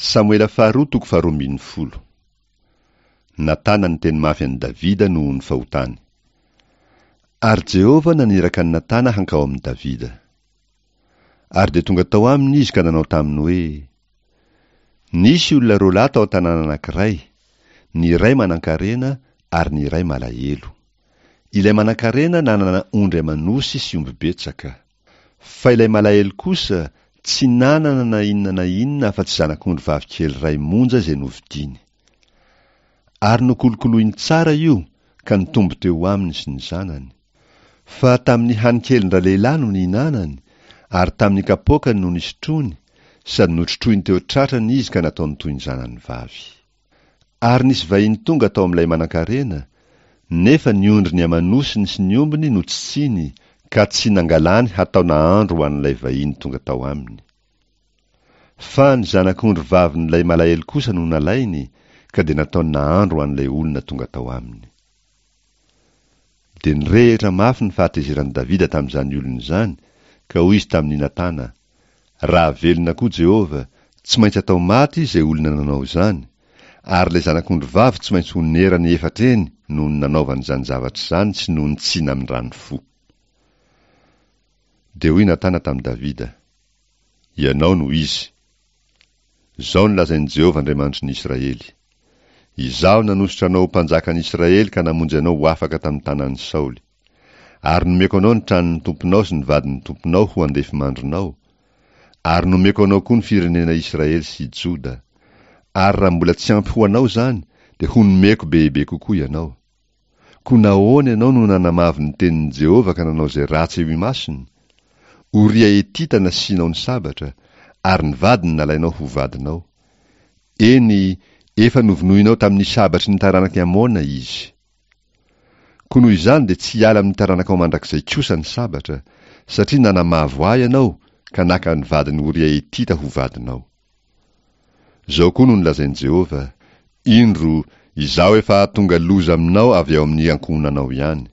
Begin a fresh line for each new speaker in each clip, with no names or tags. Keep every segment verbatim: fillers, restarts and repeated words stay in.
Samoela faharoa toko faharoa ambin'ny folo. Natana niteny mafy an'i Davida noho ny fahotany. Ary Jehovah naniraka an'i Natana hankao amin'i Davida. Ary dia tonga tao aminy izy ka nanao taminy hoe: Nisy olona roa lahy tao an-tanàna anankiray, ny iray manankarena ary ny iray malahelo. Ilay manankarena nanana ondry aman'osy sy omby betsaka. Fa ilay malahelo kosa tsy nanana na inona na inona afa-tsy zanak'ondry vavy kely iray monja izay novidiany. Ary nokolokoloiny tsara io ka nitombo teo aminy sy ny zanany. Fa tamin'ny hanin-kelin-dralehilahy no nihinanany, ary tamin'ny kapoakany no nisotroany, sady notrotroiny teo an-tratrany izy ka nataony toy ny zanany vavy. Ary nisy vahiny tonga tao amin'ilay manankarena, nefa ny ondriny aman'osiny sy ny ombiny no tsitsiny, ka tsy nangalany hatao nahandro ho an'ilay vahiny tonga tao aminy. Fa ny zanak'ondry vavin'ilay malahelo kosa no nalainy, ka dia nataony nahandro ho an'ilay olona tonga tao aminy. Dia nirehitra mafy ny fahatezeran'i Davida tamin'izany olona izany, ka hoy izy tamin'i Natana: Raha velona koa Jehovah, tsy maintsy atao maty izay olona nanao izany, ary ilay zanak'ondry vavy tsy maintsy honerany efatra eny noho ny nanaovany izany zavatra izany sy noho ny tsy namindrany fo. Dia hoy Natana tamin'i Davida: Ianao no izy. Izao no lazain'i Jehovah Andriamanitry ny Israely: Izaho nanosotra anao ho mpanjakan'ny Israely ka namonjy anao ho afaka tamin'ny tanan'i Saoly. Ary nomeko anao ny tranon'ny tomponao sy ny vadin'ny tomponao ho andefimandrinao. Ary nomeko anao koa ny firenena Israely sy Joda. Ary raha mbola tsy ampy ho anao izany, dia ho nomeko bebe kokoa ianao. Koa nahoana ianao no nanamavo ny tenin'i Jehovah ka nanao izay ratsy eo imasony? Oria Hetita nasianao ny sabatra, ary ny vadiny nalainao ho vadinao. Eny, efa novonoinao tamin'ny sabatry ny taranak'i Amona izy. Koa noho izany dia tsy hiala amin'ny taranakao mandrakizay kosa ny sabatra, satria nanamavo ahy ianao ka naka ny vadin'i Oria Hetita ho vadinao. Izao koa no nolazain'i Jehovah: Indro, izaho efa hahatonga loza aminao avy ao amin'ny ankohonanao ihany.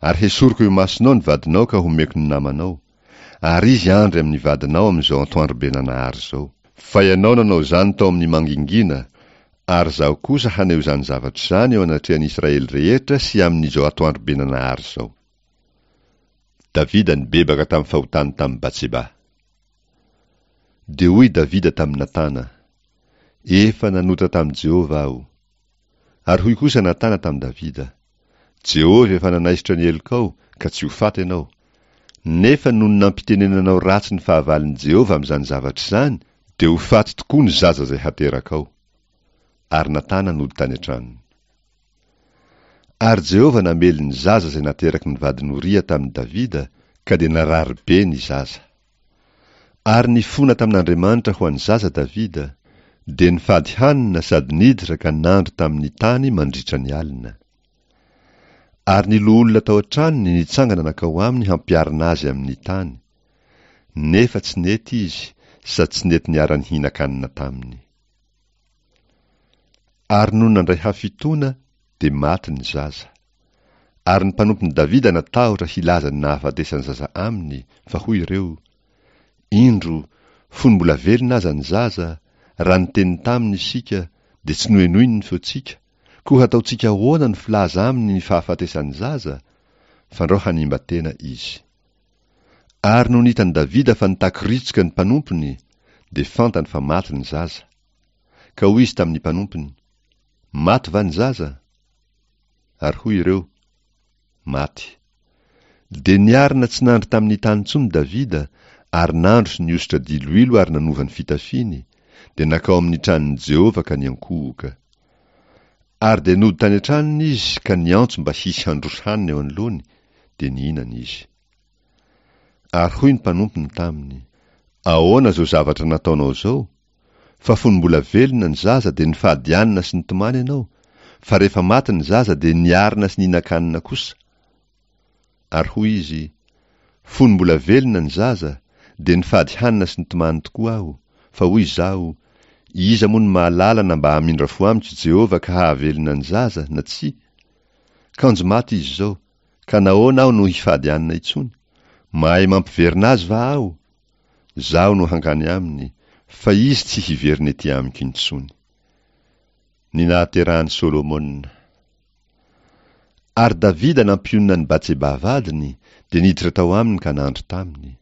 Ary hesoriko eo imasonao ny vadinao ka homeko ny namanao. Ary izy handry amin'ny vadinao amin'izao antoandrobenanahary izao. Fa ianao nanao izany tao amin'ny mangingina, ary izaho kosa haneho izany zavatra izany eo anatrehan'i Israely rehetra sy amin'izao atoandrobenanahary izao. Davida nibebaka tamin'ny fahotany tamin'i Batseba. Dia hoy Davida tamin'i Natana: Efa nanota tamin'i Jehovah aho. Ary hoy kosa Natana tamin'i Davida: Jehovah efa nanaisotra ny helokao, ka tsy ho faty ianao. Nefa nony nampitenenanao ratsy ny fahavalon'i Jehovah amin'izany zavatra izany, dia ho faty tokoa ny zaza izay haterakao. Ary Natana nody tany an-tranony. Ary Jehovah namely ny zaza izay nateraky ny vadin'i Oria tamin'i Davida, ka dia narary be ny zaza. Ary nifona tamin'Andriamanitra ho an'ny zaza Davida, dia nifady hanina sady niditra ka nandry tamin'ny tany mandritra ny alina. Ary ny loholona tao an-tranony nitsangana nankao aminy hampiarina azy amin'ny tany. Nefa tsy nety izy, sady tsy nety niara-nihinan-kanina taminy. Ary nony nandray hafitoana, dia maty ny zaza. Ary ny mpanompon'i Davida natahotra hilaza ny nahafatesan'ny zaza aminy, fa hoy ireo: Indro, fony mbola velona aza ny zaza, raha niteny taminy isika, dia tsy nohenoiny ny feontsika, koa hataontsika ahoana ny filaza aminy ny fahafatesan'ny zaza? Fandrao hanimba tena izy. Ary nony hitan'i Davida fa nitakoritsoka ny mpanompony, dia fantany fa maty ny zaza. Ka hoy izy tamin'ny mpanompony: Maty va ny zaza? Ary hoy ireo: Maty. Dia niarina tsy nandry tamin'ny tany intsony Davida, ary nandro sy nihosotra diloilo ary nanova ny fitafiany, dia nankao amin'ny tranon'i Jehovah ka niankohoka. Ary dia nody tany an-tranony izy ka niantso mba hisy handroso hanina eo anoloany, dia nihinana izy. Ary hoy ny mpanompony taminy: Ahoana izao zavatra nataonao izao? Fa fony mbola velona ny zaza dia nifady hanina sy nitomany ianao, fa rehefa maty ny zaza dia niarina sy nihinan-kanina kosa. Ary hoy izy: Fony mbola velona ny zaza, dia nifady hanina sy nitomany tokoa aho, fa hoy izaho: Iza moa no mahalala na mba hamindra fo amiko Jehovah ka hahavelona ny zaza, na tsia? Kanjo maty izy izao, ka nahoana aho no hifady hanina intsony? Mahay mampiverina azy va aho? Izaho no hankany aminy, fa izy tsy hiverina ety amiko intsony. Ny nahaterahan'i Solomona. Ary Davida nampionona an'i Batseba vadiny, dia niditra tao aminy ka nandry taminy.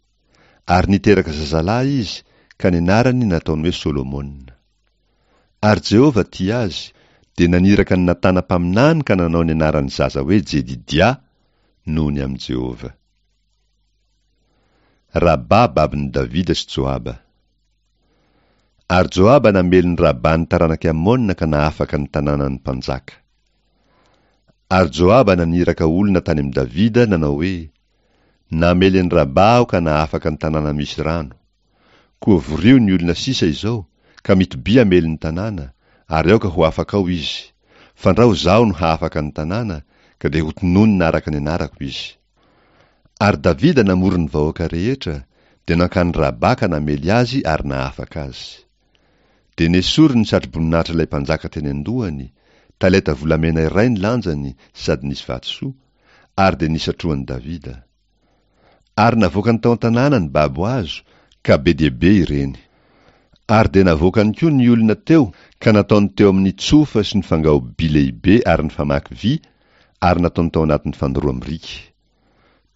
Ary niteraka zazalahy izy, ka ny anarany nataony hoe Solomona. Ary Jehovah tia azy, dia naniraka an'i Natana mpaminany ka nanao ny anaran'ny zaza hoe Jedidia, noho ny amin'i Jehovah. Rabà babon'i Davida sy Joaba. Ary Joaba namely ny Rabà ny taranak'i Amona ka nahafaka ny tanànan'ny mpanjaka. Ary Joaba naniraka olona tany amin'i Davida nanao hoe, Namely an'i Rabà aho ka nahafaka ny tanàna misy rano. Koa vorio ny olona sisa izao, ka mitobia hamely ny tanàna, ary aoka ho afaka ao izy. Fandrao izaho no hahafaka ny tanàna, ka dia hotononina araka ny anarako izy. Ary Davida namory ny vahoaka rehetra, dia nankany Rabà ka namely azy ary nahafaka azy. Dia nesoriny ny satroboninahitra ilay mpanjaka teny an-dohany, talenta volamena iray ny lanjany sady nisy vatosoa, ary dia nisatrohan'i Davida. Ary navoakany tao an-tanàna ny babo azo, ka be dia be ireny. Ary dia navoakany koa ny olona teo ka nataony teo amin'ny tsofa sy ny fangao-by lehibe ary ny famaky vy, ary nataony tao anatin'ny fandoroam-biriky.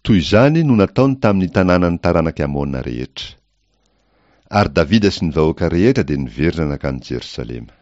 Toy izany no nataony tamin'ny tanànan'ny taranak'i Amona rehetra. Ary Davida sy ny vahoaka rehetra dia niverina nankany Jerosalema.